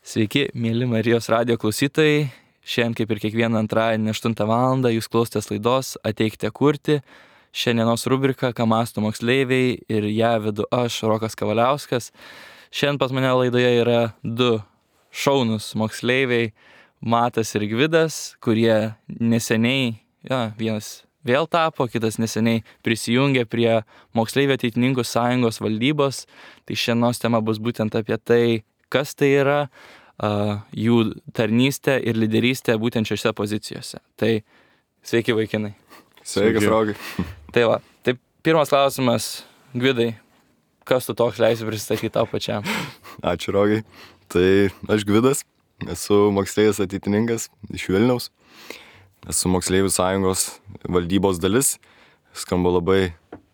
Sveiki, mėly Marijos radijo klausytojai. Šiandien, kaip ir kiekvieną antradienį 8 val. Jūs klausotės laidos Ateikite kurti. Šiandienos rubrika Ką mąsto moksleiviai ir ją vedu aš, Rokas Kavaliauskas. Šiandien pas mane laidoje yra du šaunus moksleiviai, Matas ir Gvidas, kurie neseniai, vienas vėl tapo, kitas neseniai prisijungė prie Moksleivių ateitininkų sąjungos valdybos. Tai šiandienos tema bus būtent apie tai, kas tai yra, jų tarnystė ir lyderystė būtent šiose pozicijose. Tai sveiki vaikinai. Sveikas, Rokai. Tai pirmas klausimas, Gvidai, kas tu toks leisi pristatyti tau pačiam? Ačiū, Rokai. Tai aš Gvidas, esu moksleivis ateitininkas iš Vilniaus. Esu Moksleivių sąjungos valdybos dalis. Skamba labai,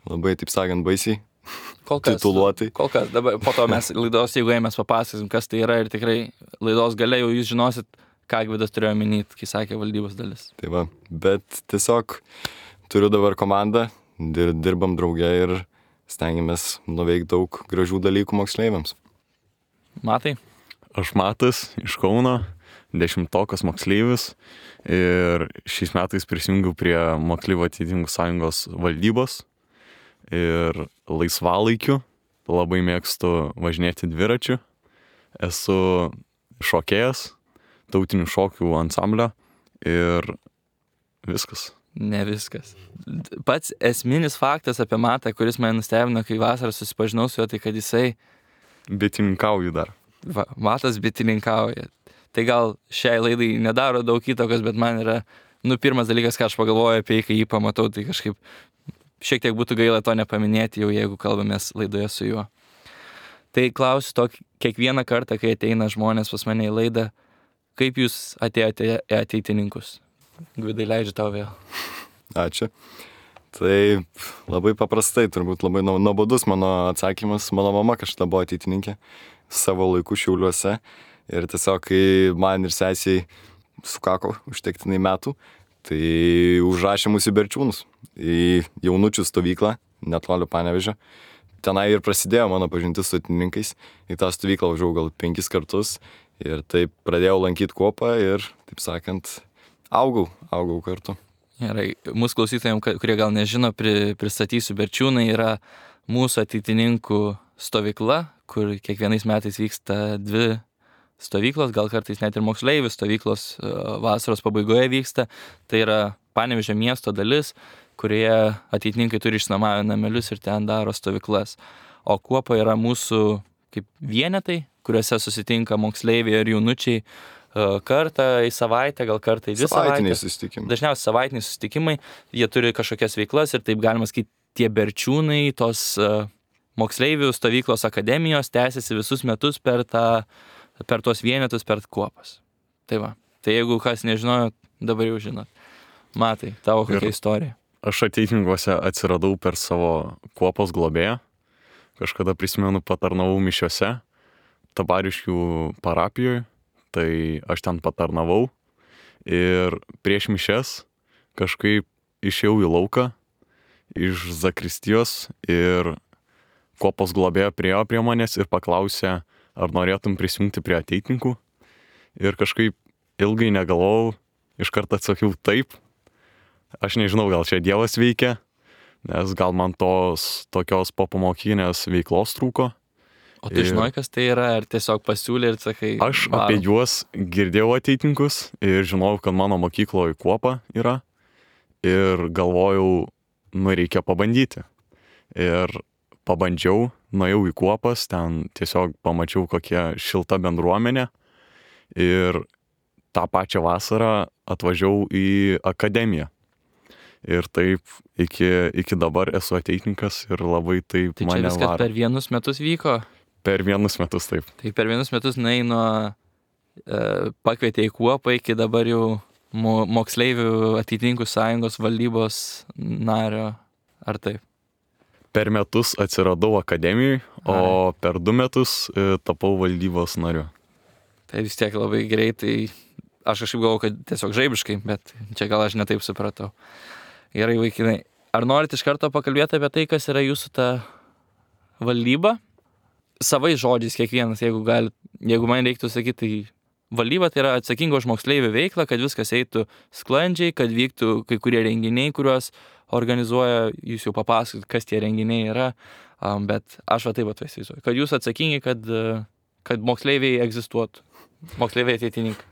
taip sakant, baisiai. Tituluotai. Kol kas, dabar po to mes laidos, jeigu mes papasakosim, kas tai yra ir tikrai laidos gale jau jūs žinosit, ką Gvidas turėjo minėti, kai sakė valdybos dalis. Tai va, bet tiesiog turiu dabar komandą, dirbam drauge ir stengiamės nuveikti daug gražių dalykų moksleiviams. Matai? Aš Matas iš Kauno, 10-okas moksleivis ir šiais metais prisijungiau prie Moksleivių ateitininkų sąjungos valdybos. Ir laisvalaikiu labai mėgstu važinėti dviračiu. Esu šokėjas, tautinių šokių ansamblio ir viskas. Ne viskas. Pats esminis faktas apie Matą, kuris mane nustebino, kai vasarą susipažinau su juo, tai kad jisai... Bitininkauju dar. Matas bitininkauja. Tai gal šiai laidai nedaro daug įtakos, bet man yra, pirmas dalykas, ką aš pagalvoju apie jį, kai jį pamatau, tai kažkaip šiek tiek būtų gaila to nepaminėti jau, jeigu kalbamės laidoje su juo. Tai klausiu to kiekvieną kartą, kai ateina žmonės pas mane į laidą, kaip jūs atėjote į ateitininkus? Gvidai, leidžiu tau vėl. Ačiū. Tai labai paprastai, turbūt labai nuobodus mano atsakymas. Mano mama kažkada buvo ateitininkė savo laiku Šiauliuose. Ir tiesiog, kai man ir sesiai sukako užtektinai metų, tai užrašė mus į Berčiūnus, į jaunučių stovyklą, netoli Panevėžio. Tenai ir prasidėjo mano pažintis su ateitininkais. Į tą stovyklą važiavau gal 5 kartus ir taip pradėjau lankyti kuopą ir, taip sakant, augau kartu. Gerai, mūsų klausytojams, kurie gal nežino, pristatysiu. Berčiūnai yra mūsų ateitininkų stovykla, kur kiekvienais metais vyksta 2 stovyklos, gal kartais net ir moksleivių stovyklos vasaros pabaigoje vyksta. Tai yra Panevėžio miesto dalis, kurioje ateitininkai turi išsinuomavę namelius ir ten daro stovyklas. O kuopa yra mūsų kaip vienetai, kuriuose susitinka moksleiviai ir jaunučiai kartą į savaitę, gal kartą į 2 savaitės. Dažniausiai savaitiniai susitikimai. Jie turi kažkokias veiklas ir taip galima sakyti, tie Berčiūnai, tos moksleivių stovyklos akademijos tęsiasi visus metus per tuos vienetus, per kuopas. Tai va. Tai jeigu kas nežinojo, dabar jau žinot. Matai, tavo kokia istorija? Aš ateitininkuose atsiradau per savo kuopos globėją. Kažkada prisimenu, patarnavau mišiose Tabariškių parapijoje. Tai aš ten patarnavau. Ir prieš mišias kažkaip išėjau į lauką iš zakristijos ir kuopos globėja priėjo prie manęs ir paklausė, ar norėtum prisijungti prie ateitininkų. Ir kažkaip ilgai negalvojau, iš karto atsakiau taip. Aš nežinau, gal čia Dievas veikia, nes gal man tokios popamokinės veiklos trūko. O tu žinai, kas tai yra, ar tiesiog pasiūlė ir sakai... Aš apie juos girdėjau ateitininkus ir žinojau, kad mano mokykloje kuopa yra. Ir galvojau, reikia pabandyti. Ir pabandžiau, nuėjau į kuopas, ten tiesiog pamačiau, kokia šilta bendruomenė. Ir tą pačią vasarą atvažiavau į akademiją. Ir taip iki dabar esu ateitininkas ir labai taip tai mane varo. Tai čia viskas per 1 metus vyko? Per 1 metus, taip. Tai per 1 metus nuo pakvietė į kuopą iki dabar jau Moksleivių ateitininkų sąjungos valdybos nario, ar taip? Per metus atsiradau akademijai, o per 2 metus tapau valdybos nariu. Tai vis tiek labai greitai, aš kažkaip galvoju, kad tiesiog žaibiškai, bet čia gal aš netaip supratau. Gerai, vaikinai, ar norit iš karto pakalbėti apie tai, kas yra jūsų ta valdyba? Savais žodžiais kiekvienas, jeigu galit jeigu man reiktų sakyti, tai valdyba tai yra atsakinga už moksleivių veiklą, kad viskas eitų sklandžiai, kad vyktų kai kurie renginiai, kuriuos organizuoja, jūs jau papasakot, kas tie renginiai yra, bet aš taip įsivaizduoju, kad jūs atsakingi, kad moksleiviai egzistuotų, moksleiviai ateitininkai.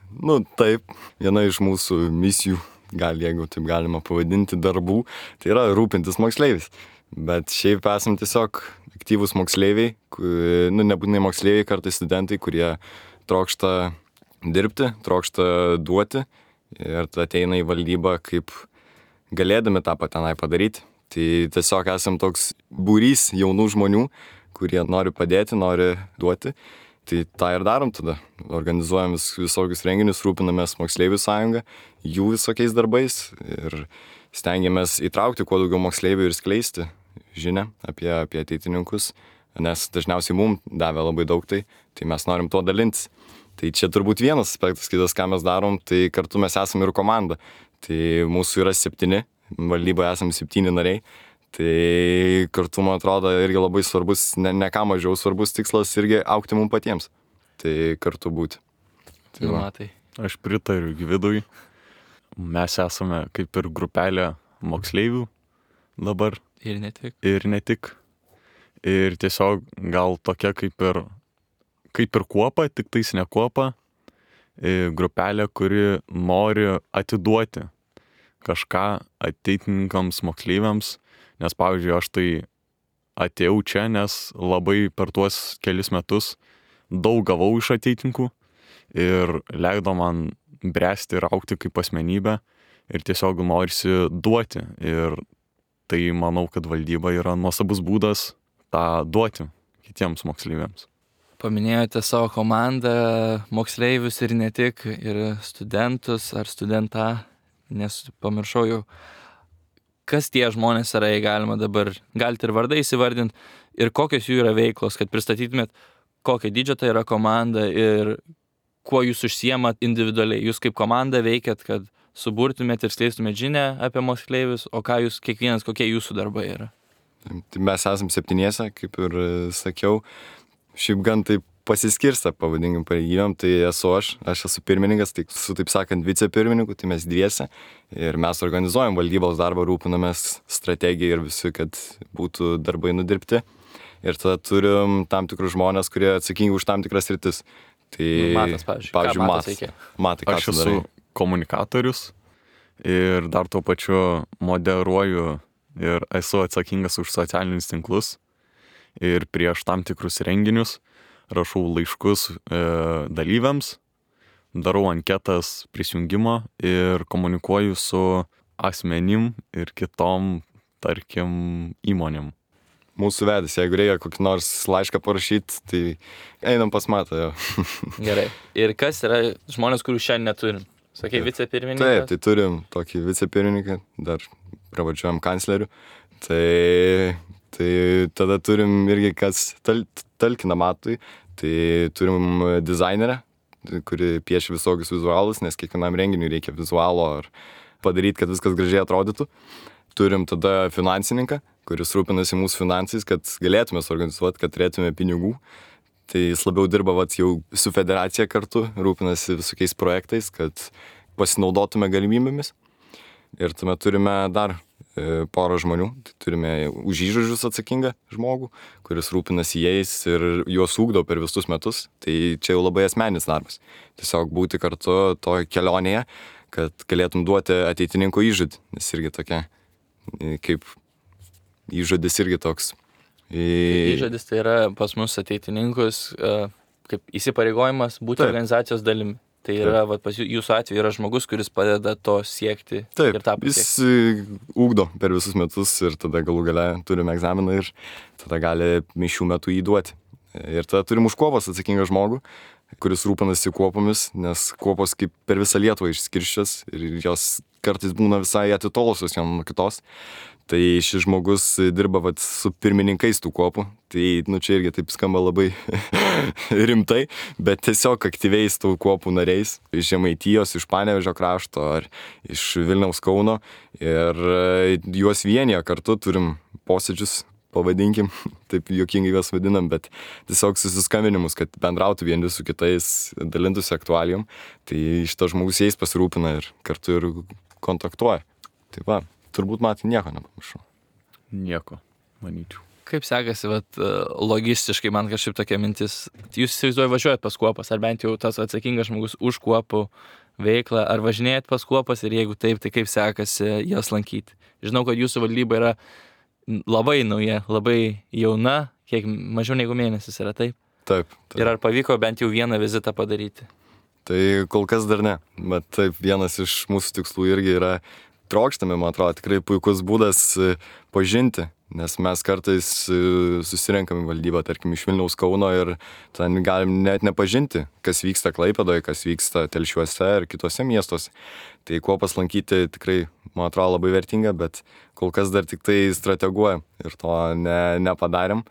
Taip, viena iš mūsų misijų, jeigu taip galima pavadinti, darbų, tai yra rūpintis moksleivis. Bet šiaip esam tiesiog aktyvūs moksleiviai, nebūtinai moksleiviai, kartais studentai, kurie trokšta dirbti, trokšta duoti ir ateina į valdybą kaip galėdami tą patenai padaryti. Tai tiesiog esam toks būrys jaunų žmonių, kurie nori padėti, nori duoti. Tai tą ir darom tada. Organizuojam visokius renginius, rūpinamės moksleivių sąjungą, jų visokiais darbais ir stengiamės įtraukti kuo daugiau moksleivių ir skleisti žinią apie ateitininkus, nes dažniausiai mums davė labai daug tai mes norim tuo dalintis. Tai čia turbūt vienas aspektas, kitas, ką mes darom, tai kartu mes esame ir komanda. Tai mūsų yra 7, valdyboje esame 7 nariai. Tai kartu, man atrodo, irgi labai svarbus, ne ką mažiau svarbus tikslas irgi augti mums patiems. Tai kartu būti. Tai aš pritariu Gvidui. Mes esame kaip ir grupelė moksleivių dabar. Ir ne tik. Ir tiesiog gal tokia kaip ir kuopa, tik tais ne kuopa, grupelė, kuri nori atiduoti kažką ateitininkams, moksleiviams, nes, pavyzdžiui, aš tai atėjau čia, nes labai per tuos kelis metus daug gavau iš ateitininkų ir leido man bręsti ir augti kaip asmenybė ir tiesiog norisi duoti. Ir tai manau, kad valdyba yra nuostabus būdas tą duoti kitiems moksleiviams. Paminėjote savo komandą, moksleivius ir ne tik, ir studentus ar studentą, nes pamiršau jau, kas tie žmonės yra, jei galite ir vardai įsivardinti, ir kokios jų yra veiklos, kad pristatytumėt, kokio dydžio tai yra komanda ir kuo jūs užsiemat individualiai. Jūs kaip komanda veikiat, kad suburtumėt ir skleistumėt žinią apie moksleivius, o ką jūs kiekvienas, kokie jūsų darbai yra? Tai mes esam 7, kaip ir sakiau. Šiaip gan taip pasiskirsta, pavadinkim, pareigybėm, tai esu aš esu pirmininkas, tai su, taip sakant, vicepirmininku, tai mes dviese ir mes organizuojam valdybos darbą, rūpinamės strategiją ir visi, kad būtų darbai nudirbti. Ir tada turim tam tikrus žmonės, kurie atsakingi už tam tikras sritis. Tai Matas, pavyzdžiui. Matai, ką aš esu komunikatorius ir dar tuo pačiu moderuoju ir esu atsakingas už socialinius tinklus ir prieš tam tikrus renginius rašau laiškus dalyviams, darau anketas prisijungimo ir komunikuoju su asmenim ir kitom, tarkim, įmonėm. Mūsų vedęs, jeigu reikia kokį nors laišką parašyti, tai einam pas Matą. Gerai. Ir kas yra žmonės, kurių šiandien neturim? Sakai, vicepirmininkas? Taip, tai turim tokį vicepirmininką, dar pravažiuojam kanclerių. Tai tada turim irgi kas talkina Matui, tai turim dizainerę, kuri piešia visokius vizualus, nes kiekvienam renginiui reikia vizualo ar padaryti, kad viskas gražiai atrodytų. Turim tada finansininką, kuris rūpinasi mūsų finansais, kad galėtume suorganizuoti, kad turėtume pinigų. Tai jis labiau dirba jau su federacija kartu, rūpinasi visokiais projektais, kad pasinaudotume galimybėmis. Ir tuomet turime dar porą žmonių. Tai turime už įžodžius atsakingą žmogų, kuris rūpinasi jais ir juos ugdo per visus metus. Tai čia jau labai asmeninis darbas. Tiesiog būti kartu toje kelionėje, kad galėtum duoti ateitininko įžodį. Nes irgi tokia, kaip įžodis irgi toks. Įžodis tai yra pas mus ateitininkus kaip įsipareigojimas būti organizacijos dalimi. Tai yra, pas jūsų atveju yra žmogus, kuris padeda to siekti. Taip, ir tą pasiekti. Jis ugdo per visus metus ir tada galų gale turime egzaminą ir tada gali mišių metu jį duoti. Ir tada turim už kuopas atsakingą žmogų, kuris rūpinasi kuopomis, nes kuopos kaip per visą Lietuvą išskirščias ir jos kartais būna visai atitolusios viena nuo kitos. Tai šis žmogus dirba su pirmininkais tų kuopų. Tai čia irgi taip skamba labai rimtai, bet tiesiog aktyviais tų kuopų nariais iš Žemaitijos, iš Panevėžio krašto ar iš Vilniaus Kauno. Ir juos vienyje kartu turim posėdžius pavadinkim, taip juokingai juos vadinam, bet tiesiog susiskambinimus, kad bendrautų vieni su kitais, dalintųsi aktualijom, tai šitas žmogus jais pasirūpina ir kartu ir kontaktuoja. Tai va, turbūt Matai nieko nepamiršau. Nieko, manyčiau. Kaip sekasi, logistiškai man kažkaip tokia mintis. Jūs įsivaizduoju važiuojat pas kuopas, ar bent jau tas atsakingas žmogus už kuopų veiklą, ar važinėjat pas kuopas ir jeigu taip, tai kaip sekasi jas lankyti. Žinau, kad jūsų valdyba yra labai nauja, labai jauna, kiek mažiau negu mėnesis yra, taip? Taip. Ir ar pavyko bent jau vieną vizitą padaryti? Tai kol kas dar ne, bet taip, vienas iš mūsų tikslų irgi yra trokštami, man atrodo, tikrai puikus būdas pažinti. Nes mes kartais susirenkam į valdybą, tarkim, iš Vilniaus, Kauno ir ten galim net nepažinti, kas vyksta Klaipėdoje, kas vyksta Telšiuose ir kitose miestuose. Tai kuopas lankyti tikrai, man atrodo, labai vertinga, bet kol kas dar tik tai strateguojam ir to nepadarėm.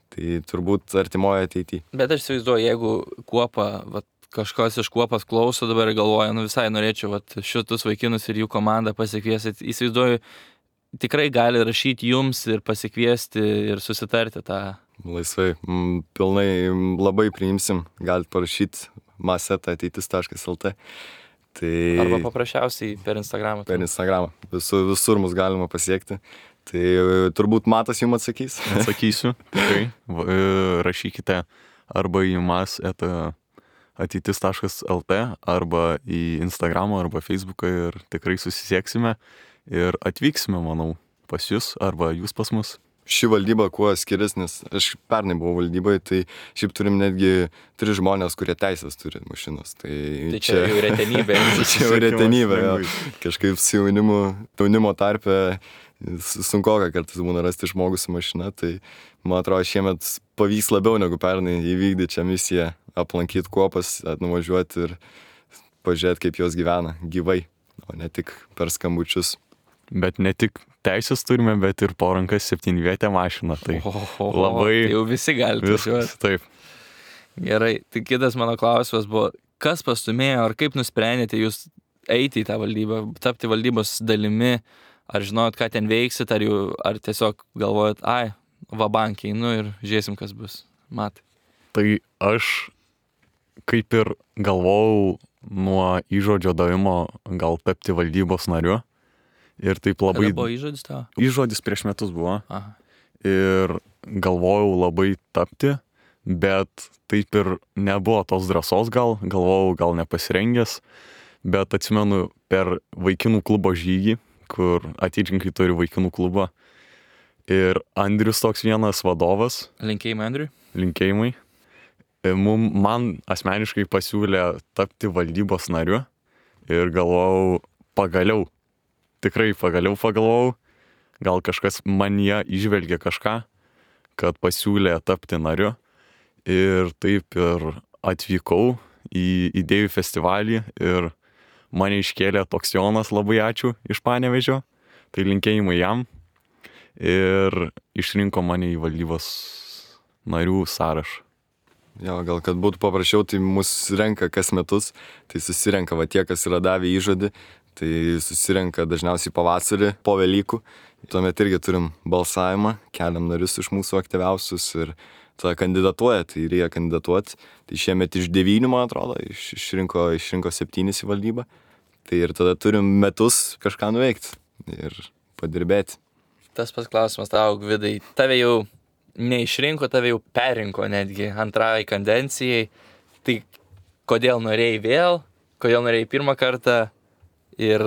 Tai turbūt artimoje ateityje. Bet aš įsivaizduoju, jeigu kuopa, kažkas iš kuopas klauso dabar ir galvoja, visai norėčiau šitus vaikinus ir jų komandą pasikviesti. Įsivaizduoju, tikrai gali rašyti jums ir pasikviesti ir susitarti tą. Laisvai, pilnai labai priimsim, galite parašyti maseta@ateitis.lt. Tai... Arba paprasčiausiai per Instagramą. Per Instagramą. Visur mus galima pasiekti. Tai turbūt Matas jums atsakys. Atsakysiu, tikrai. Rašykite arba į mas@ateitis.lt arba į Instagramą arba Facebooką ir tikrai susisieksime. Ir atvyksime, manau, pas jūs arba jūs pas mus. Ši valdyba kuo skiriasi, nes aš pernai buvau valdybai, tai šiaip turim netgi 3 žmonės, kurie teisės turi mašinas. Tai čia jau retenybė. Čia jau retenybė, jo. Kažkaip su jaunimo tarpe sunkoka kartais būna rasti žmogus su mašina, tai man atrodo šiemet pavyks labiau negu pernai įvykdyti šią misiją, aplankyti kuopas, nuvažiuoti ir pažiūrėti, kaip jos gyvena gyvai, o ne tik per skambučius. Bet ne tik teisės turime, bet ir po rankas 7-vietę mašiną. Tai labai... Tai jau visi gali važiuoti. Taip. Gerai, tai kitas mano klausimas buvo, kas pastumėjo, ar kaip nusprendėte jūs eiti į tą valdybą, tapti valdybos dalimi, ar žinojot, ką ten veiksit, ar tiesiog galvojat, vabankiai, ir žiūrėsim, kas bus. Matai. Tai aš kaip ir galvojau nuo įžodžio davimo gal tapti valdybos nariu. Ir taip labai... Kada buvo įžodis tavo? Įžodis prieš metus buvo. Aha. Ir galvojau labai tapti, bet taip ir nebuvo tos drąsos galvojau gal nepasirengęs, bet atsimenu per vaikinų klubo žygį, kur Atyčinkai turi vaikinų klubą. Ir Andrius toks vienas vadovas. Linkėjimai Andriui. Linkėjimai. Man asmeniškai pasiūlė tapti valdybos nariu ir galvojau, tikrai pagaliau pagalvojau, gal kažkas manyje įžvelgė kažką, kad pasiūlė tapti nariu. Ir taip ir atvykau į idėjų festivalį ir mane iškėlė toks Jonas, labai ačiū, iš Panevėžio. Tai linkėjimai jam. Ir išrinko mane į valdybos narių sąrašą. Jo, gal kad būtų paprasčiau, tai mus renka kas metus, tai susirenka tie, kas yra davę įžodį. Tai susirenka dažniausiai pavasarį, po Velykų. Tuomet irgi turim balsavimą, keliam narius iš mūsų aktyviausius ir tada kandidatuoja, tai reikia kandidatuoti. Tai šiemet iš 9, man atrodo, išrinko 7 į valdybą. Tai ir tada turim metus kažką nuveikti ir padirbėti. Tas pats klausimas tau, Gvidai. Tave jau neišrinko, tave jau perrinko netgi antrai kadencijai. Tai kodėl norėjai vėl, kodėl norėjai pirmą kartą? Ir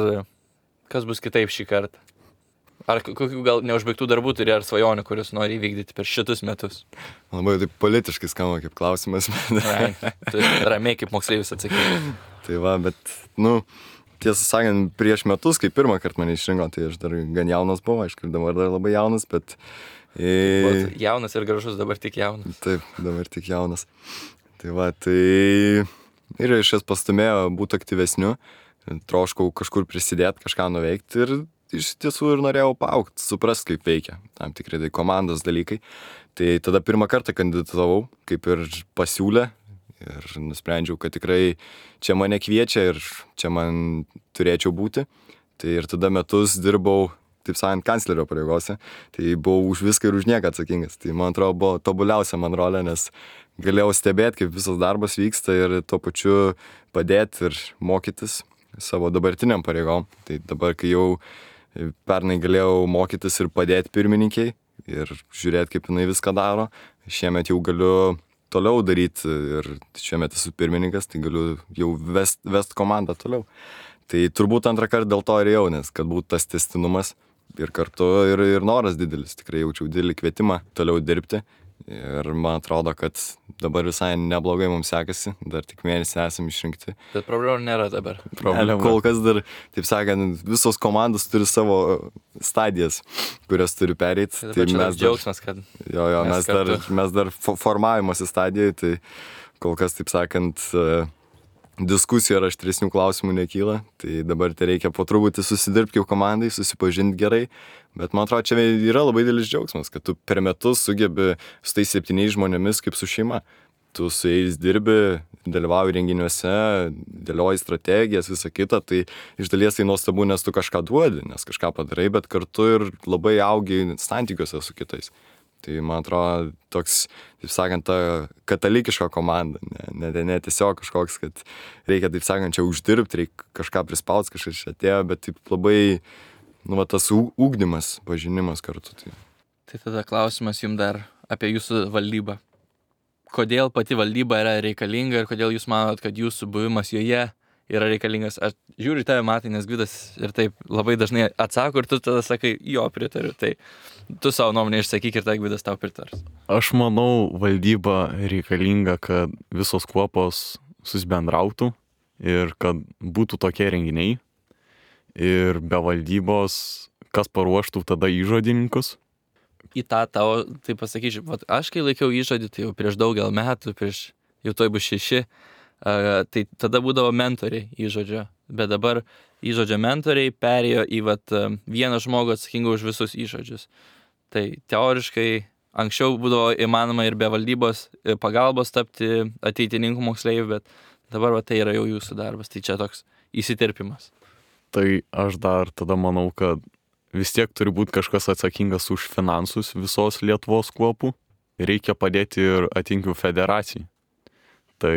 kas bus kitaip šį kartą? Ar kokių gal neužbaigtų darbų turi, ar svajonių, kuriuos nori įvykdyti per šitus metus? Labai taip politiškai skamba kaip klausimas. Ramiai kaip moksleivis atsakyti. Tai va, bet, tiesą sakant, prieš metus, kai pirmą kartą mane išrinko, tai aš dar gan jaunas buvau, aišku, dabar dar labai jaunas, bet... Jaunas ir gražus, dabar tik jaunas. Taip, dabar tik jaunas. Tai va, tai... Ir iš jas pastumėjo būti aktyvesniu. Troškau kažkur prisidėti, kažką nuveikti ir iš tiesų ir norėjau paaugti, suprasti, kaip veikia tam tikrai tai komandos dalykai. Tai tada pirmą kartą kandidatavau, kaip ir pasiūlė ir nusprendžiau, kad tikrai čia mane kviečia ir čia man turėčiau būti. Tai ir tada metus dirbau taip sakant, kanclerio pareigose, tai buvau už viską ir už nieką atsakingas. Tai man atrodo buvo tobuliausia man rolė, nes galėjau stebėti, kaip visas darbas vyksta ir tuo pačiu padėti ir mokytis savo dabartiniam pareigom. Tai dabar, kai jau pernai galėjau mokytis ir padėti pirmininkiai ir žiūrėti, kaip jinai viską daro, šiemet jau galiu toliau daryti ir šiemet esu pirmininkas, tai galiu jau vest komandą toliau. Tai turbūt antrą kartą dėl to ir jau, nes kad būtų tas tęstinumas ir kartu ir noras didelis. Tikrai jaučiau didelį kvietimą toliau dirbti ir man atrodo, kad dabar visai neblogai mums sekasi, dar tik mėnesį esame išrinkti. Bet problemų nėra dabar. Kol kas dar, taip sakant, visos komandos turi savo stadijas, kurias turi pereiti. Tai mes džiaugsmas, kad mes dar formavimosi stadijoje, tai kol kas, taip sakant, diskusijų ar aštresnių klausimų nekyla, tai dabar tai reikia po truputį susidirbti jau komandai, susipažinti gerai, bet man atrodo, čia yra labai didelis džiaugsmas, kad tu per metus sugebi su tais 7 žmonėmis kaip su šeima. Tu su jais dirbi, dalyvauji renginiuose, dėlioji strategijas, visą kitą, tai iš dalies tai nuostabu, nes tu kažką duodi, nes kažką padarai, bet kartu ir labai augi santykiuose su kitais. Tai man atrodo toks, taip sakant, ta katalikiška komanda, ne tiesiog kažkoks, kad reikia, taip sakant, čia uždirbti, reikia kažką prispausti, kažkas čia atėjo, bet taip labai, tas ugdymas, pažinimas kartu. Tai tada klausimas jums dar apie jūsų valdybą. Kodėl pati valdyba yra reikalinga ir kodėl jūs manot, kad jūsų buvimas joje yra reikalingas? Aš žiūriu tave, Matai, nes Gvidas ir taip labai dažnai atsako ir tu tada sakai, jo, pritariu. Tai tu savo nuomonę išsakyk ir tai Gvidas tau pritars. Aš manau, valdyba reikalinga, kad visos kuopos susibendrautų ir kad būtų tokie renginiai. Ir be valdybos, kas paruoštų tada įžodininkus? Į tą tavo, tai pasakyčiau, aš kai laikiau įžodį, tai jau prieš daugel metų, jau toj bus 6, tai tada būdavo mentoriai įžodžio, bet dabar įžodžio mentoriai perėjo į vieną žmogų atsakingą už visus įžodžius. Tai teoriškai anksčiau būdavo įmanoma ir be valdybos pagalbos tapti ateitininkų moksleivių, bet dabar tai yra jau jūsų darbas, tai čia toks įsiterpimas. Tai aš dar tada manau, kad vis tiek turi būti kažkas atsakingas už finansus visos Lietuvos kuopų. Reikia padėti ir atinkių federacijai. Tai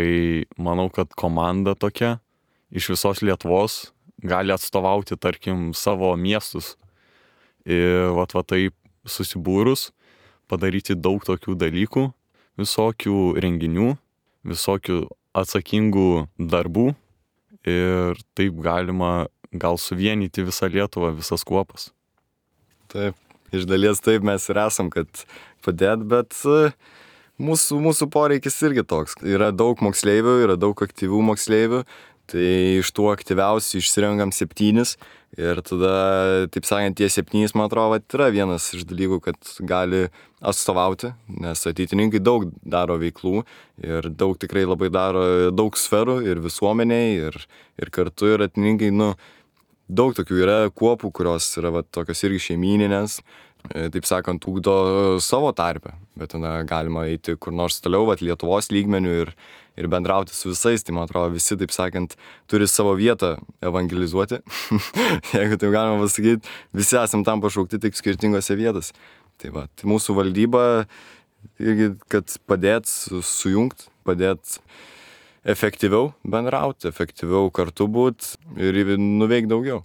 manau, kad komanda tokia iš visos Lietuvos gali atstovauti, tarkim, savo miestus. Ir taip susibūrus, padaryti daug tokių dalykų, visokių renginių, visokių atsakingų darbų. Ir taip galima gal suvienyti visą Lietuvą, visas kuopas. Taip, iš dalies taip mes ir esam, kad padėt, bet mūsų poreikis irgi toks. Yra daug moksleivių, yra daug aktyvių moksleivių, tai iš tų aktyviausių išsirenkam 7 ir tada, taip sakant, tie 7, man atrodo, yra vienas iš dalykų, kad gali atstovauti, nes ateitininkai daug daro veiklų ir daug tikrai labai daro daug sferų ir visuomeniai ir kartu ir ateitininkai, daug tokių yra kuopų, kurios yra tokios irgi šeimyninės, taip sakant, ugdo savo tarpę, bet tada galima eiti kur nors toliau, Lietuvos lygmenių ir bendrauti su visais, tai man atrodo visi, taip sakant, turi savo vietą evangelizuoti, jeigu taip galima pasakyti, visi esam tam pašaukti tik skirtingose vietose. Tai mūsų valdyba irgi, kad padėt sujungt, padėt efektyviau bendrauti, efektyviau kartu būt ir nuveikti daugiau.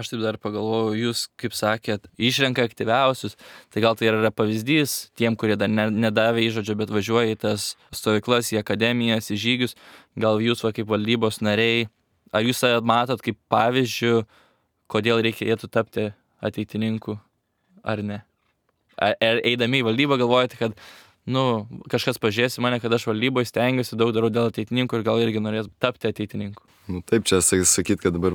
Aš taip dar pagalvojau, jūs, kaip sakėt, išrenka aktyviausius, tai gal tai yra pavyzdys tiem, kurie dar nedavė įžodžio, bet važiuoja į tas stovyklas, į akademijas, į žygius, gal jūs kaip valdybos nariai, ar jūs matot kaip pavyzdžių, kodėl reikėtų tapti ateitininku, ar ne? Ar eidami į valdybą galvojate, kad kažkas pažiūrės į mane, kad aš valdyboje stengiuosi, daug darau dėl ateitininkų ir gal irgi norės tapti ateitininku. Taip, čia sakyt, kad dabar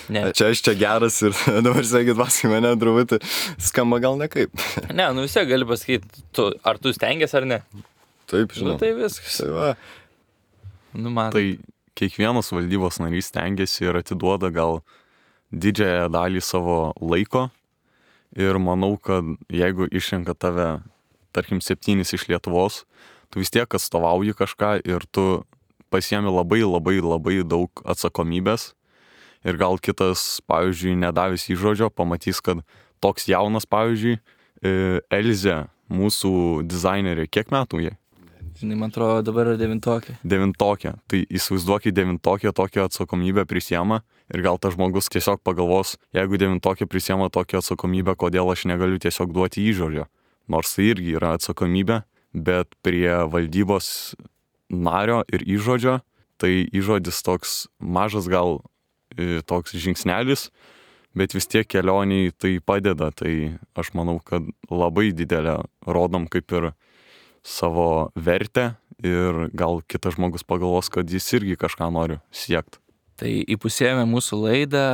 čia aš čia geras ir dabar sakyt, paskui mane truputį skamba gal nekaip. Ne, vis tiek gali pasakyti, ar tu stengiasi ar ne. Taip, žinau. Tai viskas. Man. Tai kiekvienas valdybos narys stengiasi ir atiduoda gal didžiąją dalį savo laiko ir manau, kad jeigu išrenka tave tarkim 7 iš Lietuvos, tu vis tiek atstovauji kažką ir tu pasiemi labai daug atsakomybės ir gal kitas, pavyzdžiui, nedavęs įžodžio, pamatys, kad toks jaunas, pavyzdžiui, Elzė, mūsų dizainerė, kiek metų jai? Žinai, man atrodo, dabar yra 9. 9. Tai įsivaizduokit, 9 tokią atsakomybę prisiema ir gal tas žmogus tiesiog pagalvos, jeigu 9 prisiema tokią atsakomybę, kodėl aš negaliu tiesiog duoti įžodžio. Nors tai irgi yra atsakomybė, bet prie valdybos nario ir įžodžio, tai įžodis toks mažas gal toks žingsnelis, bet vis tiek kelioniai tai padeda. Tai aš manau, kad labai didelę rodom kaip ir savo vertę ir gal kitas žmogus pagalvos, kad jis irgi kažką nori siekti. Tai įpusėjome mūsų laidą.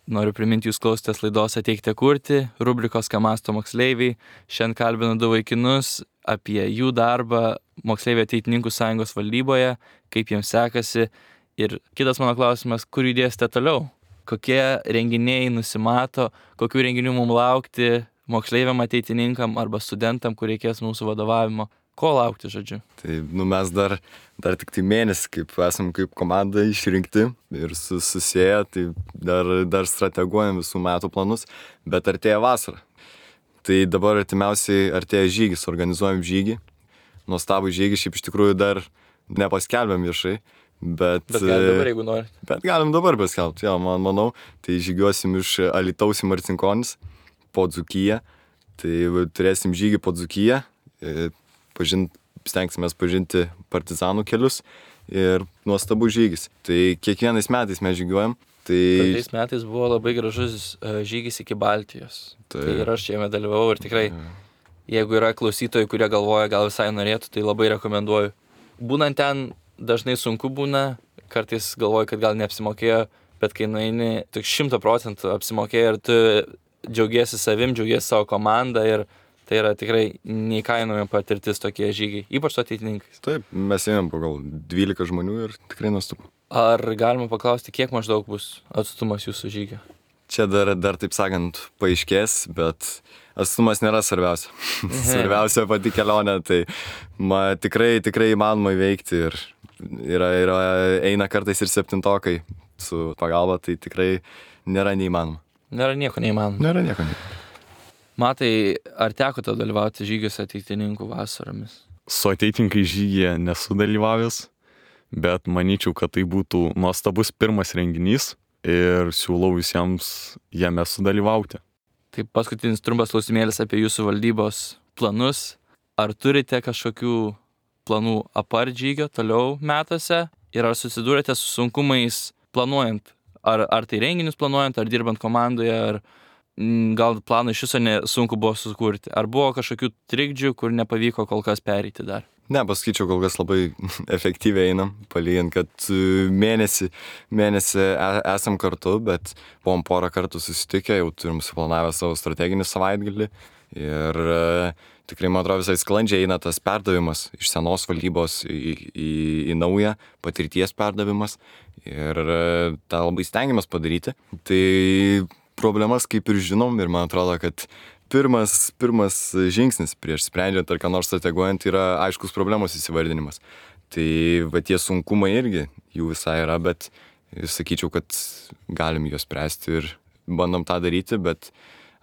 Noriu priminti, jūs klausotės laidos Ateikite kurti, rubrikos Ką mąsto moksleiviai. Šiandien kalbinu 2 vaikinus apie jų darbą Moksleivių ateitininkų sąjungos valdyboje, kaip jiems sekasi. Ir kitas mano klausimas, kur judėsite toliau? Kokie renginiai nusimato, kokių renginių mums laukti moksleiviam ateitininkam arba studentam, kur reikės mūsų vadovavimo? Ko laukti, žodžiu? Tai mes dar tik tai mėnesį, kaip esam kaip komanda išrinkti ir susėję, tai dar strateguojam visų metų planus, bet artėja vasara. Tai dabar artimiausiai artėja žygis, organizuojam žygį. Nuostabų žygį, šiaip iš tikrųjų dar nepaskelbėm viešai, bet galim dabar, jeigu norite. Bet galim dabar paskelbti, jo, manau. Tai žygiuosim iš Alytaus į Marcinkonis po Dzūkiją. Tai turėsim žygį po Dzūkiją. Stengsimės pažinti partizanų kelius ir nuostabų žygis. Tai kiekvienais metais mes žygiuojam. Praeitais metais buvo labai gražus žygis iki Baltijos. Tai ir aš jame dalyvavau ir tikrai, jeigu yra klausytojai, kurie galvoja, gal visai norėtų, tai labai rekomenduoju. Būnant ten dažnai sunku būna, kartais galvoju, kad gal neapsimokėjo, bet kai nueini, tik 100% apsimokėjo ir tu džiaugiesi savim, džiaugiesi savo komandą ir tai yra tikrai neįkainojama patirtis tokie žygiai, ypač su ateitininkais. Taip, mes ėjom po gal 12 žmonių ir tikrai nuostabu. Ar galima paklausti, kiek maždaug bus atstumas jūsų žygio? Čia dar taip sakant, paaiškės, bet atstumas nėra svarbiausia. Svarbiausia pati kelionė, tai tikrai įmanoma įveikti ir eina kartais ir 7-tokai su pagalba, tai tikrai nėra neįmanoma. Nėra nieko neįmanoma. Matai, ar teko tau dalyvauti žygiuose ateitininkų vasaromis? Su ateitininkai žygyje nesu dalyvavęs, bet manyčiau, kad tai būtų nuostabus pirmas renginys ir siūlau visiems jame sudalyvauti. Tai paskutinis trumpas klausimėlis apie jūsų valdybos planus. Ar turite kažkokių planų apart žygio toliau metuose ir ar susidūrėte su sunkumais planuojant? Ar tai renginius planuojant, ar dirbant komandoje, ar gal planą iš viso sunku buvo sukurti? Ar buvo kažkokių trikdžių, kur nepavyko kol kas pereiti dar? Ne, pasakyčiau, kol kas labai efektyviai einam, palygint, kad mėnesį esam kartu, bet buvom porą kartų susitikę, jau turim suplanavę savo strateginį savaitgalį ir tikrai, man atrodo, visai sklandžiai eina tas perdavimas iš senos valdybos į naują, patirties perdavimas ir tą labai stengiamės padaryti. Tai problemas kaip ir žinom ir man atrodo, kad pirmas žingsnis prieš sprendžiant ar ką nors strateguojant yra aiškus problemos įsivardinimas. Tai tie sunkumai irgi jų visai yra, bet sakyčiau, kad galim juos spręsti ir bandom tą daryti, bet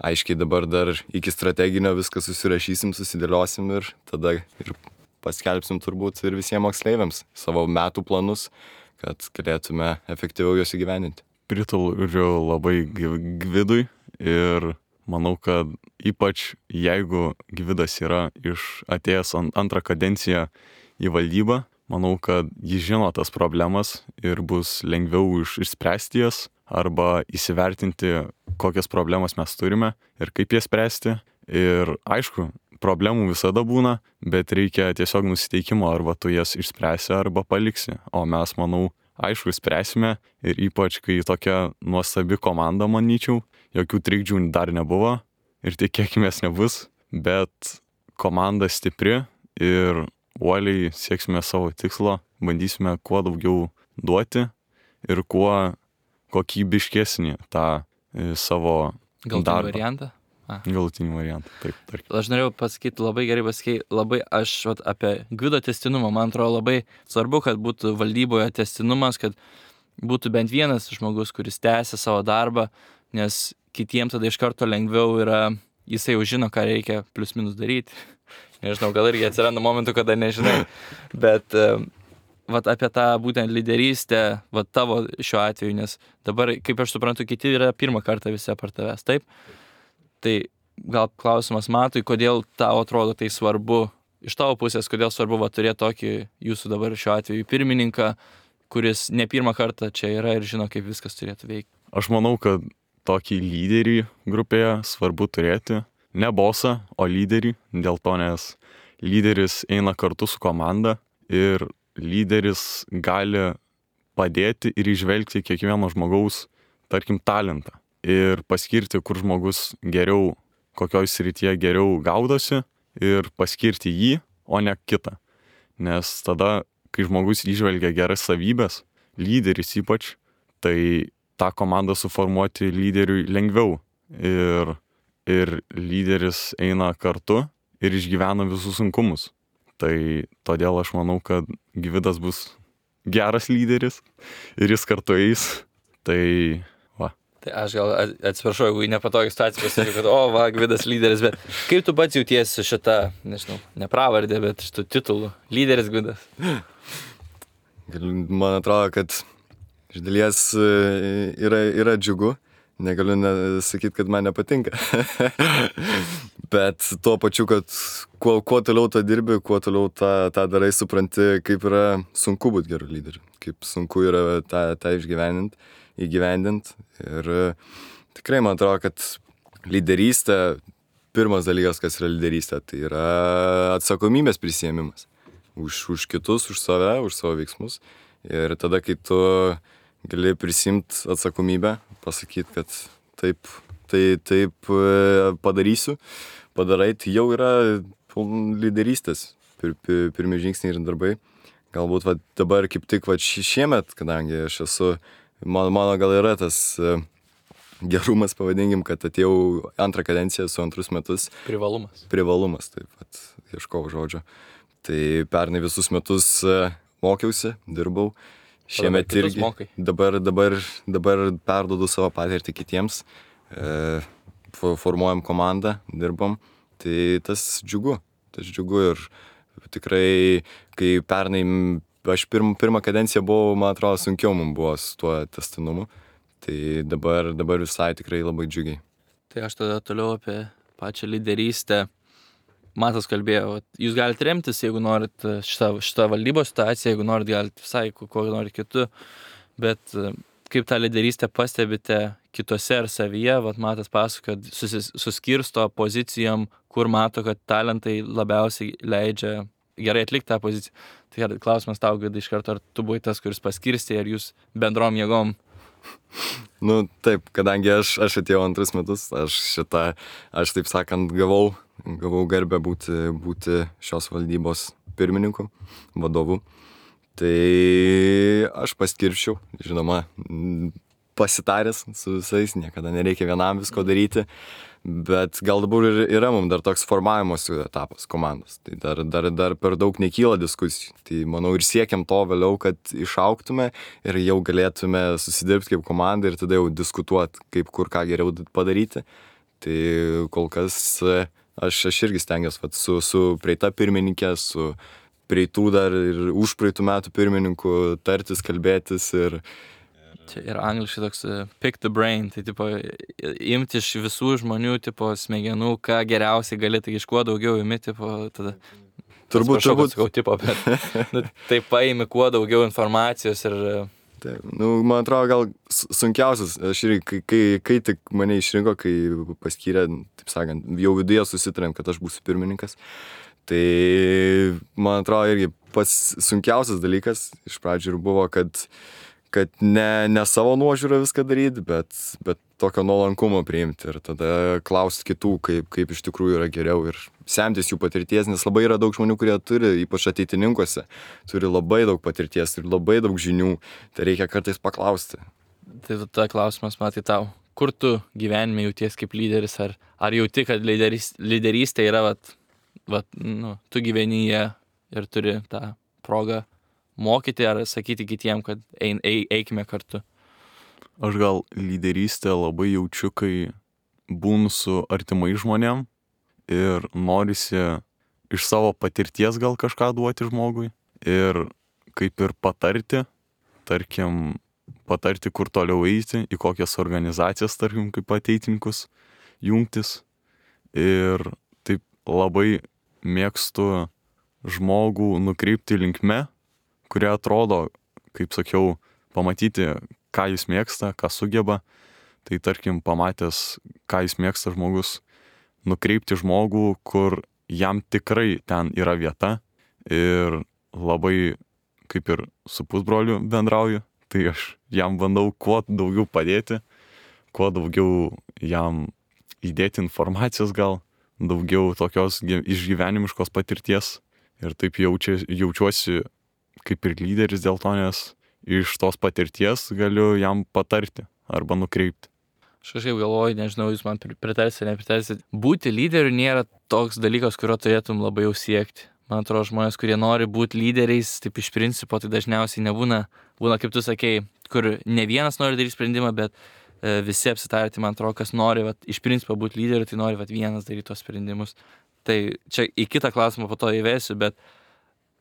aiškiai dabar dar iki strateginio viską susirašysim, susidėliosim ir tada ir paskelbsim turbūt ir visiems moksleiviams savo metų planus, kad galėtume efektyviau juos įgyvendinti. Pritariu labai Gvidui ir manau, kad ypač jeigu Gvidas yra atėjęs antrą kadenciją į valdybą, manau, kad jis žino tas problemas ir bus lengviau išspręsti jas arba įsivertinti, kokias problemas mes turime ir kaip jas spręsti. Ir aišku, problemų visada būna, bet reikia tiesiog nusiteikimo, arba tu jas išspręsi arba paliksi. O mes, manau, aišku, spręsime ir ypač, kai tokia nuostabi komanda, manyčiau, jokių trikdžių dar nebuvo ir tikėkimės nebus, bet komanda stipri ir uoliai sieksime savo tikslo, bandysime kuo daugiau duoti ir kuo kokybiškesnį tą savo darbą. Variantą? Galutinį variantą, taip. Aš norėjau pasakyti, labai gerai pasakyti, apie Gvido testinumą, man atrodo labai svarbu, kad būtų valdyboje testinumas, kad būtų bent vienas žmogus, kuris tęsia savo darbą, nes kitiems tada iš karto lengviau yra, jisai jau žino, ką reikia plius minus daryti. Nežinau, gal irgi atsiranda momentų, kada nežinai, bet vat apie tą būtent lyderystę, vat tavo šiuo atveju, nes dabar, kaip aš suprantu, kiti yra pirmą kartą visi apart tavęs, taip? Tai gal klausimas Matui, kodėl tau atrodo tai svarbu, iš tavo pusės, kodėl svarbu turėti tokį jūsų dabar šiuo atveju pirmininką, kuris ne pirmą kartą čia yra ir žino, kaip viskas turėtų veikti. Aš manau, kad tokį lyderį grupėje svarbu turėti. Ne bosą, o lyderį. Dėl to, nes lyderis eina kartu su komanda ir lyderis gali padėti ir įžvelgti kiekvieno žmogaus, tarkim, talentą. Ir paskirti, kur žmogus geriau, kokioj srityje geriau gaudosi ir paskirti jį, o ne kitą. Nes tada, kai žmogus įžvelgia geras savybės, lyderis ypač, tai tą komandą suformuoti lyderiui lengviau. Ir lyderis eina kartu ir išgyvena visus sunkumus. Tai todėl aš manau, kad Gvidas bus geras lyderis ir jis kartu eis. Tai va. Tai aš gal atsiprašau, jeigu į nepatogį situaciją pasakysiu, kad Gvidas lyderis, bet kaip tu pats jautiesi šitą, nežinau, ne pravardė, bet šitų titulų, lyderis Gvidas? Man atrodo, kad iš dalies yra džiugu. Negaliu sakyti, kad man nepatinka. Bet tuo pačiu, kad kuo toliau tą dirbi, kuo toliau tą darai, supranti, kaip yra sunku būti geru lyderiu. Kaip sunku yra tą įgyvendint. Ir tikrai man atrodo, kad lyderystė, pirmas dalykas, kas yra lyderystė, tai yra atsakomybės prisiėmimas. Už kitus, už save, už savo veiksmus. Ir tada, kai tu gali prisimti atsakomybę, pasakyti, kad taip padarysiu, padarai, tai jau yra lyderystės pirmi žingsniai ir darbai. Galbūt dabar kaip tik šiemet, kadangi aš esu, mano gal yra tas gerumas, pavadinkim, kad atėjau antrą kadenciją su antrus metus. Privalumas, taip pat ieškau žodžio. Tai pernai visus metus mokiausi, dirbau. Šiemet irgi dabar perduodu savo patirtį kitiems, formuojam komandą, dirbam, tai tas džiugu ir tikrai, kai pernai aš pirmą kadenciją buvau, man atrodo, sunkiau mums buvo su tuo tęstinumu, tai dabar visai tikrai labai džiugiai. Tai aš tada toliau apie pačią lyderystę. Matas kalbėjo, jūs galite remtis, jeigu norit šitą valdybos situaciją, jeigu norit, galite visai, ko norit kitų, bet kaip tą lyderystę pastebite kitose ar savyje, Matas pasako, kad suskirsto pozicijom, kur mato, kad talentai labiausiai leidžia gerai atlikti tą poziciją. Tai klausimas tau, kad iš karto, ar tu buvai tas, kuris paskirstė, ar jūs bendrom jėgom? Nu taip, kadangi aš atėjau antrus metus, aš taip sakant gavau garbę būti šios valdybos pirmininku, vadovu. Tai aš paskirčiau, žinoma, pasitaręs su visais, niekada nereikia vienam visko daryti, bet gal dabar yra mums dar toks formavimosi etapas komandos. Tai dar per daug nekyla diskusijų. Tai manau ir siekiam to vėliau, kad išaugtume ir jau galėtume susidirbti kaip komanda ir tada jau diskutuoti, kaip kur ką geriau padaryti. Tai kol kas aš irgi stengiuosi su praeita pirmininkė, su praeitų dar ir už praeitų metų pirmininku tartis, kalbėtis ir čia yra angliškai toks pick the brain, tai tipo imti iš visų žmonių tipo smegenų, ką geriausiai gali, tai iš kuo daugiau imi, tipo tada. Turbūt. Sakau, tipo, bet tai paimi kuo daugiau informacijos ir taip, man atrodo, gal sunkiausias, aš irgi, kai tik mane išrinko, kai paskyrė, taip sakant, jau viduje susitarėm, kad aš būsiu pirmininkas, tai man atrodo irgi pats sunkiausias dalykas iš pradžių ir buvo, kad ne savo nuožiūrą viską daryti, bet tokio nuolankumo priimti ir tada klausti kitų, kaip iš tikrųjų yra geriau ir semtis jų patirties, nes labai yra daug žmonių, kurie turi, ypač ateitininkuose, turi labai daug patirties ir labai daug žinių, tai reikia kartais paklausti. Tai tada klausimas, Matai, tau, kur tu gyvenime jauties kaip lyderis, ar jauti, kad lyderystė yra, tu gyveni ją ir turi tą progą mokyti ar sakyti kitiem, kad eikime kartu? Aš gal lyderystę labai jaučiu, kai būnu su artimai žmonėm ir norisi iš savo patirties gal kažką duoti žmogui ir kaip ir patarti, tarkim, patarti, kur toliau eiti, į kokias organizacijas, tarkim, kaip ateitininkus jungtis. Ir taip labai mėgstu žmogų nukreipti linkme, kurie atrodo, kaip sakiau, pamatyti, ką jis mėgsta, ką sugeba. Tai tarkim, pamatęs, ką jis mėgsta žmogus, nukreipti žmogų, kur jam tikrai ten yra vieta. Ir labai, kaip ir su pusbroliu bendrauju, tai aš jam bandau kuo daugiau padėti, kuo daugiau jam įdėti informacijos gal, daugiau tokios išgyvenimiškos patirties. Ir taip jaučiuosi kaip ir lyderis dėl to, nes iš tos patirties galiu jam patarti arba nukreipti. Aš kažkaip galvoju, nežinau, jūs man pritarsit, nepritarsit. Būti lyderiu nėra toks dalykas, kurio turėtum labai jau siekti. Man atrodo, žmonės, kurie nori būti lyderiais, taip iš principo, tai dažniausiai nebūna, kaip tu sakei, kur ne vienas nori daryti sprendimą, bet visi apsitarti, man atrodo, kas nori, iš principo būti lyderiu, tai nori vienas daryti tos sprendimus. Tai čia į kitą klausimą po to įvesiu, bet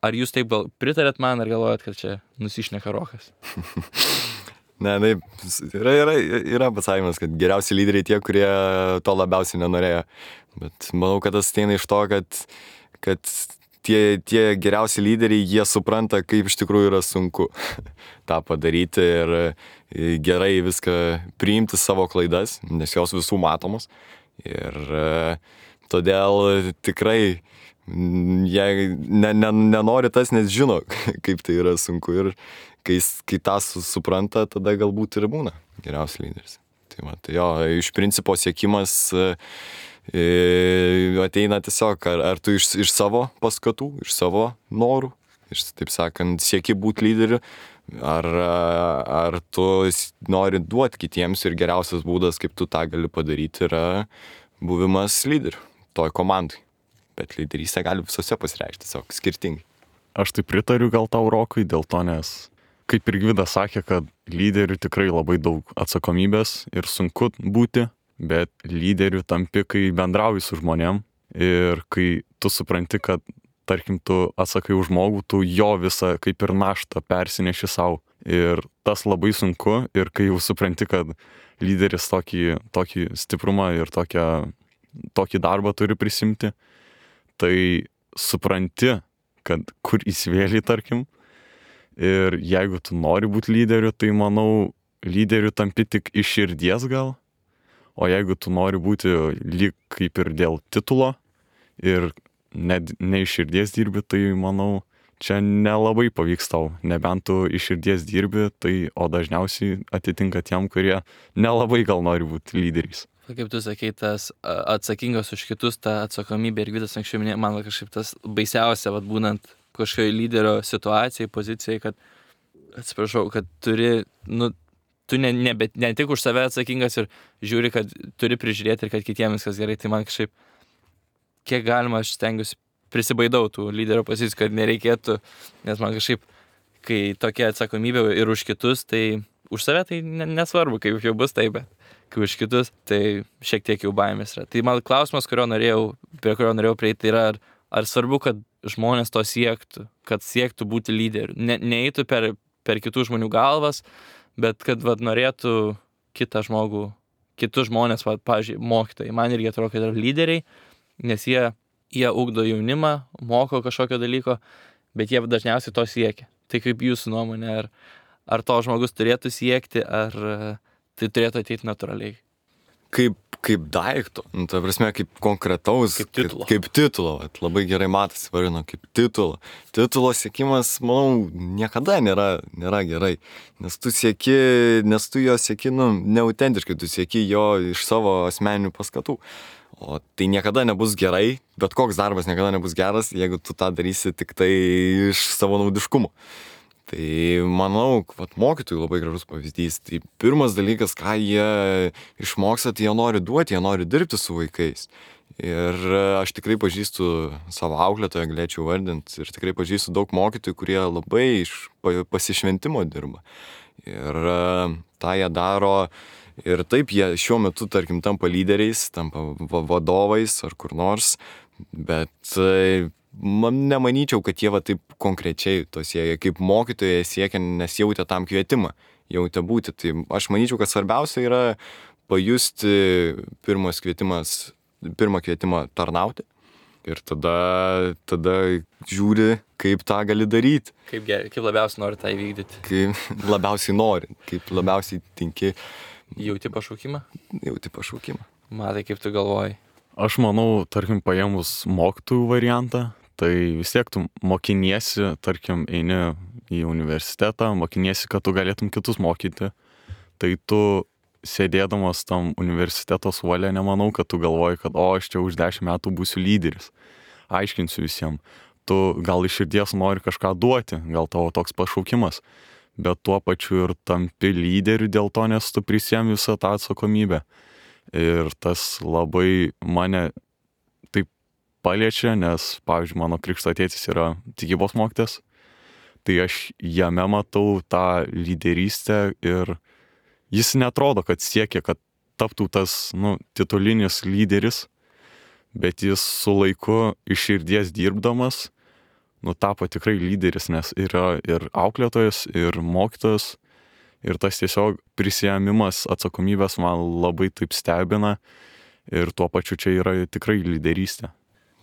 ar jūs taip gal pritarėt man, ar galvojat, kad čia nusišneka Rokas? Ne, yra pasakymas, kad geriausi lyderiai tie, kurie to labiausiai nenorėjo. Bet manau, kad tas ateina iš to, kad tie geriausi lyderiai, jie supranta, kaip iš tikrųjų yra sunku tą padaryti ir gerai viską priimti savo klaidas, nes jos visų matomos. Ir todėl tikrai jei nenori tas, nes žino, kaip tai yra sunku. Ir kai tą supranta, tada galbūt ir būna geriausias lyderis. Tai jo, iš principo siekimas ateina tiesiog, ar tu iš savo paskatų, iš savo norų, taip sakant, sieki būti lyderiu, ar tu nori duoti kitiems ir geriausias būdas, kaip tu tą gali padaryti, yra buvimas lyderiu toj komandai. Bet lyderystė gali visose pasireikšti, tiesiog skirtingai. Aš tai pritariu gal tau, Rokui, dėl to, nes kaip ir Gvidas sakė, kad lyderių tikrai labai daug atsakomybės ir sunku būti, bet lyderių tampi, kai bendrauji su žmonėm ir kai tu supranti, kad tarkim tu atsakai už žmogų, tu jo visą kaip ir naštą persineši savo. Ir tas labai sunku ir kai jau supranti, kad lyderis tokį stiprumą ir tokį darbą turi prisimti, tai supranti, kad kur įsivėlį, tarkim. Ir jeigu tu nori būti lyderiu, tai manau, lyderiu tampi tik iš širdies gal. O jeigu tu nori būti lyg kaip ir dėl titulo ir ne iš širdies dirbi, tai manau, čia nelabai pavyks tau. Nebent tu iš širdies dirbi, o dažniausiai atitinka tiem, kurie nelabai gal nori būti lyderiais. Kaip tu sakei, tas atsakingas už kitus, ta atsakomybė ir Gvidas anksčiau minėjo, man kažkaip tas baisiausia, būnant kažkokio lyderio situacijai, pozicijai, kad, atsiprašau, kad turi, tu ne tik už save atsakingas ir žiūri, kad turi prižiūrėti ir kad kitiems viskas gerai, tai man kažkaip, kiek galima, aš stengiuosi prisibaidau tų lyderio pozicijų, kad nereikėtų, nes man kažkaip, kai tokia atsakomybė ir už kitus, tai už save tai nesvarbu, kaip jau bus taip, bet kai už kitus, tai šiek tiek jau baimės yra. Tai man klausimas, prie kurio norėjau prieiti, yra, ar svarbu, kad žmonės to siektų, kad siektų būti lyderiu. Neeitų per kitų žmonių galvas, bet kad norėtų kitus žmonės, pavyzdžiui, mokytojai. Man irgi atrodo, kad yra lyderiai, nes jie ugdo jaunimą, moko kažkokio dalyko, bet jie dažniausiai to siekia. Tai kaip jūsų nuomonė, ar to žmogus turėtų siekti, ar tai turėtų ateiti natūraliai? Kaip daikto, ta prasme, kaip konkretaus, kaip titulo, labai gerai matosi, varino, kaip titulo. Titulo siekimas, manau, niekada nėra gerai, nes tu jo sieki, neautentiškai, tu sieki jo iš savo asmeninių paskatų. O tai niekada nebus gerai, bet koks darbas niekada nebus geras, jeigu tu tą darysi tik tai iš savo naudiškumo. Tai manau, mokytojų labai gražus pavyzdys. Tai pirmas dalykas, ką jie išmoksta, tai jie nori duoti, jie nori dirbti su vaikais. Ir aš tikrai pažįstu savo auklėtoją, galėčiau vardinti, ir tikrai pažįstu daug mokytojų, kurie labai iš pasišventimo dirba. Ir tą jie daro Ir taip jie šiuo metu, tarkim, tampa lyderiais, tampa vadovais ar kur nors, bet nemanyčiau, kad jie va taip konkrečiai to siekia, kaip mokytojai siekia, nes jautė tam kvietimą, jautė būti. Tai aš manyčiau, kad svarbiausia yra pajusti pirmą kvietimą tarnauti. Ir tada žiūri, kaip tą gali daryti. Kaip labiausiai nori tą įvykdyti? Kaip labiausiai nori, kaip labiausiai tinki. Jauti pašaukimą? Jauti pašaukimą. Matai, kaip tu galvoji? Aš manau, tarkim, paėmus mokytojų variantą, tai vis tiek tu mokiniesi, tarkim, eini į universitetą, mokiniesi, kad tu galėtum kitus mokyti. Tai tu sėdėdamas tam universiteto suole, nemanau, kad tu galvoji, kad aš čia už 10 metų būsiu lyderis. Aiškinsiu visiems. Tu gal iš širdies nori kažką duoti, gal tavo toks pašaukimas, bet tuo pačiu ir tampi lyderiu dėl to, nes tu prisiemi visą tą atsakomybę. Ir tas labai mane taip paliečia, nes, pavyzdžiui, mano krikšto tėtis yra tikybos mokytojas, tai aš jame matau tą lyderystę ir jis netrodo, kad siekia, kad taptų tas, titulinis lyderis, bet jis su laiku iš širdies dirbdamas, tapo tikrai lyderis, nes yra ir auklėtojas, ir mokytojas, ir tas tiesiog prisiėmimas atsakomybės man labai taip stebina ir tuo pačiu čia yra tikrai lyderystė.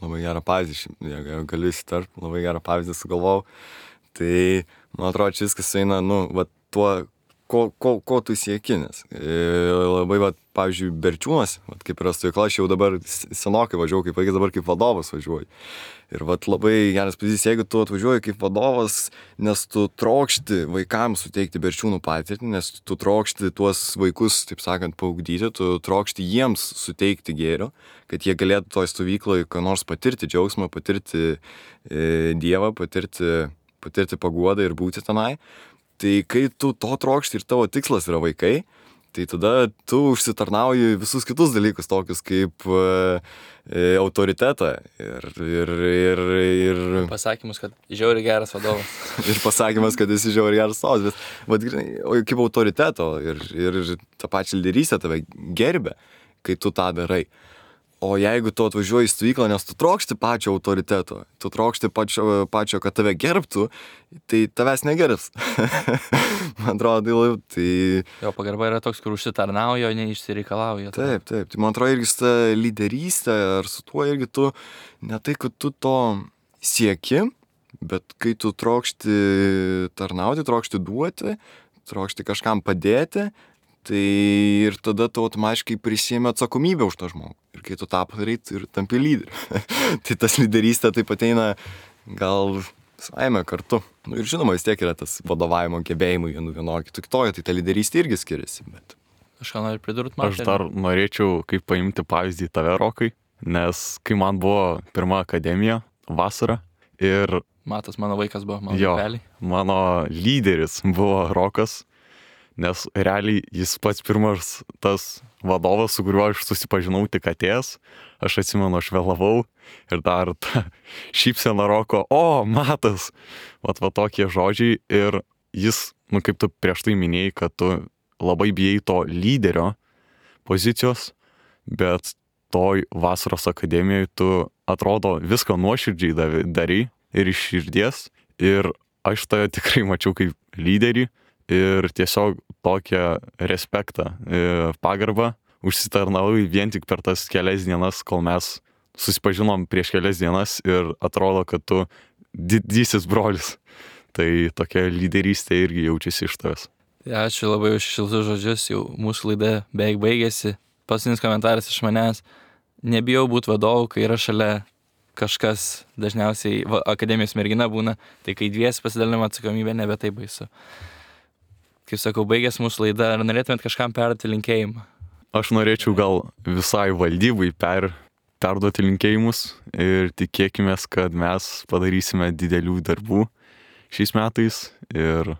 Labai gerą pavyzdį, jeigu galiu įsitarp, labai gerą pavyzdį sugalvojau. Tai, man atrodo, čia viskas eina, tuo, ko tu sieki, nes labai, pavyzdžiui, Berčiūnas, kaip yra stovykla, aš jau dabar senokai važiuoju, kaip vaikas dabar kaip vadovas važiuoju. Ir labai geras pavyzdys, jeigu tu atvažiuoji kaip vadovas, nes tu trokšti vaikams suteikti Berčiūnų patirtį, nes tu trokšti tuos vaikus, taip sakant, paugdyti, tu trokšti jiems suteikti gėrio, kad jie galėtų toj stovykloje ką nors patirti džiaugsmą, patirti Dievą, patirti paguodą ir būti tenai. Tai kai tu to trokšti ir tavo tikslas yra vaikai, tai tada tu užsitarnauji visus kitus dalykus, tokius kaip autoritetą ir pasakymus, kad žiauriai geras vadovas. Ir pasakymas, kad esi žiauriai geras vadovas, bet kaip autoriteto ir tą pačią lyderystę tave gerbia, kai tu tą darai. O jeigu tu atvažiuoji į stovyklą, nes tu trokšti pačio autoriteto, tu trokšti pačio, kad tave gerbtų, tai tavęs negerbs. Man atrodo, tai... Jo pagarba yra toks, kur užsitarnauja, o neišsireikalauja. Taip. Tai man atrodo, irgi su ta lyderystė, ar su tuo irgi tu, ne tai, kad tu to sieki, bet kai tu trokšti tarnauti, trokšti duoti, trokšti kažkam padėti, tai ir tada tu automatiškai prisiemi atsakomybę už tą žmogų. Ir kai tu tą padarai, ir tampi lyderiu. Tai tas lyderystė taip ateina gal savaime kartu. Ir žinoma, vis tiek yra tas vadovavimo gebėjimai vienokie, kitoje, tai ta lyderystė irgi skiriasi. Bet... Aš ką noriu pridurti, man. Aš dar norėčiau kaip paimti pavyzdį tave, Rokai, nes kai man buvo pirma akademija vasarą ir... Matas, mano vaikas buvo, mano realiai. Mano lyderis buvo Rokas. Nes realiai jis pats pirmas tas vadovas, su kuriuo aš susipažinau tik atėjęs. Aš atsimenu, aš vėlavau ir dar ta šypsena Roko, Matas, va tokie žodžiai. Ir jis, kaip tu prieš tai minėjai, kad tu labai bijai to lyderio pozicijos, bet toj vasaros akademijoje tu atrodo viską nuoširdžiai darai ir iš širdies. Ir aš tave tikrai mačiau kaip lyderį. Ir tiesiog tokią respektą, pagarbą užsitarnavai vien tik per tas kelias dienas, kol mes susipažinom prieš kelias dienas ir atrodo, kad tu didysis brolis. Tai tokia lyderystė irgi jaučiasi iš tavęs. Ačiū labai už šiltus žodžius, jau mūsų laida beveik baigėsi. Paskutinis komentaras iš manęs. Nebijau būti vadovu, kai yra šalia kažkas, dažniausiai akademijos mergina būna, tai kai dviesi pasidalinama atsakomybė, nebe taip baisu. Kaip sakau, baigęs mūsų laida, ar norėtumėt kažkam perduoti linkėjimą? Aš norėčiau gal visai valdybai perduoti linkėjimus ir tikėkimės, kad mes padarysime didelių darbų šiais metais ir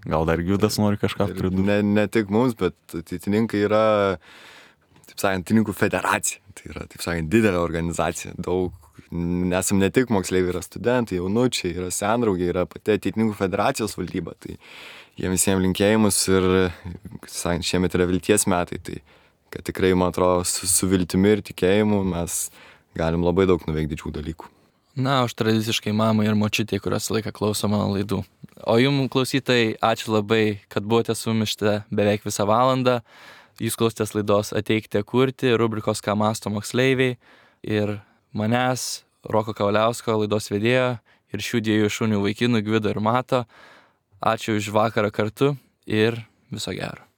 gal dar Giudas nori kažką pridurti. Ne tik mums, bet ateitininkai yra, taip sakant, ateitininkų federacija. Tai yra, taip sakant, didelė organizacija. Nesam ne tik moksleiviai, yra studentai, jaunučiai, yra sendraugiai, yra pati ateitininkų federacijos valdyba. Tai jiem visiems linkėjimus ir šiemet yra vilties metai, tai kad tikrai, man atrodo, su viltimi ir tikėjimu mes galim labai daug nuveikti didžių dalykų. Na, aš tradiciškai mamai ir močiutė, kurios laiką klauso mano laidų. O jums, klausytojai, ačiū labai, kad buvote su mumis beveik visą valandą. Jūs klausėtės laidos Ateikite kurti, rubrikos Ką mąsto moksleiviai. Ir manęs, Roko Kavaliausko, laidos vedėjo, ir šių dviejų šunių vaikinų, Gvido ir Mato. Ačiū už vakarą kartu ir viso gero.